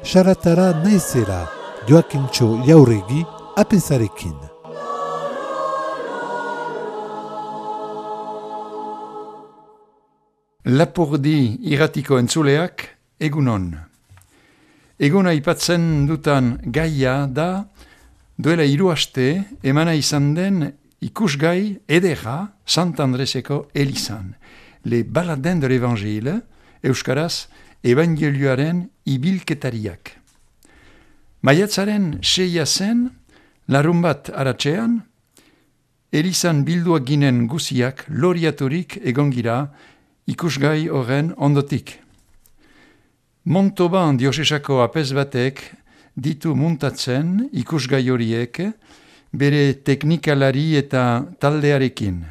Saratara naizera, Joakintxo Jauregi, apezarekin. Lapurdi irratiko entzuleak, egunon. Eguna aipatzen dutan gaia da, duela 3 aste emana izan den ikusgai edera Sant Andreseko elizan. Le baladin de l'Evangile, euskaraz, evangelioaren ibilketariak. Maiatzaren 6 zen, larun bat aratzean, elizan bilduak ginen guziak loriaturik egongira ikusgai horren ondotik. Montauban diosesako apez batek ditu muntatzen ikusgai horiek bere teknikalari eta taldearekin.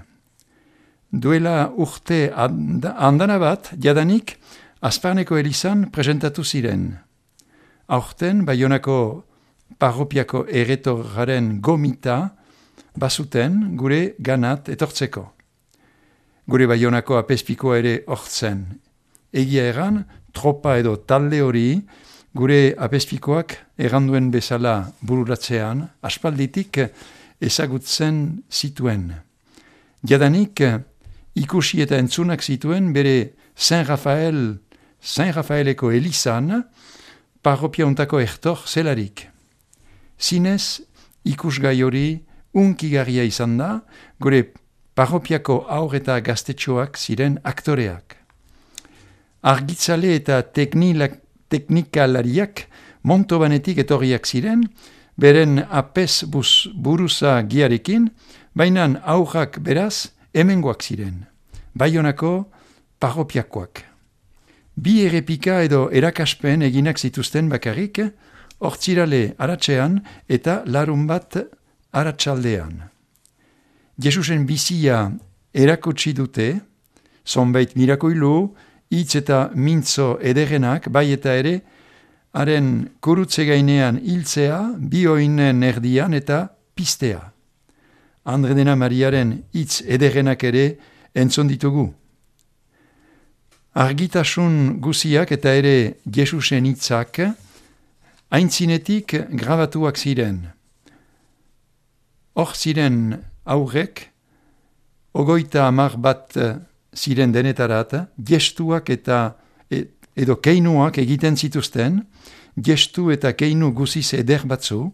Duela urte andana bat, jadanik, Azparneko elizan presentatu ziren. Aurten, Baionako parropiako erretorraren gomita bazuten gure ganat etortzeko. Gure Baionako apezpikoa ere hortzen. Egia eran, tropa edo talde hori gure apezpikoak erranduen bezala bururatzean aspalditik ezagutzen zituen. Jadanik ikusi eta entzunak zituen bere Saint Rafaeleko elizan parropia untako ertor zelarik. Zinez ikusgai hori unkigarria izan da gure parropiako aur eta gaztetxoak ziren aktoreak. Argitzale eta teknikalariak Montobanetik etorriak ziren, beren apez buruza giarekin, baina aurrak beraz hemengoak ziren, Baionako parropiakoak. 2 errepika edo erakaspen eginak zituzten bakarrik, hortzirale aratzean eta larun bat aratsaldean. Jesusen bizia erakutsi dute, zonbait mirakoilu, hitz eta mintzo ederenak, bai eta ere, haren kurutze gainean hiltzea, 2 oinen erdian eta pistea. Andredena Mariaren hitz ederenak ere entzun ditugu. Argitasun guziak eta ere Jesusen hitzak aintzinetik grabatuak ziren. Hor ziren aurrek, 30 bat ziren denetarat, gestuak eta edo keinuak egiten zituzten, gestu eta keinu guziz eder batzu,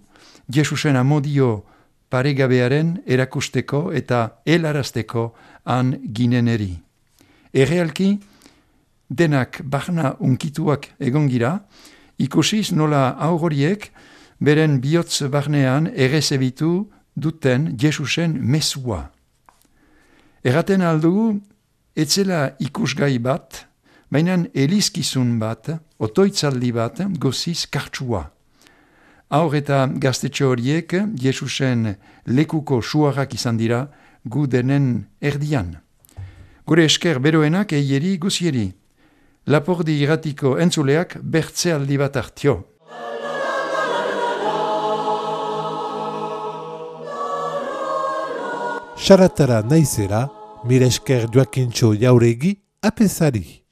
Jesusen amodio paregabearen erakusteko eta helarazteko han gineneri. Errealki, denak barna unkituak egongira, ikusiz nola auroriek beren bihotz barnean errezebitu duten Jesusen mesua. Erraten aldugu, etzela ikusgai bat, baina elizkizun bat, otoitzaldi bat, goziz kartsua. Aur eta gaztetxo horiek Jesusen lekuko suarrak izan dira gu denen erdian. Gure esker beroenak eieri guzieri. Lapurdi irratiko entzuleak bertzealdi bat hartio. Saratara naizera, mire esker Joakintxo Jauregi, apezari.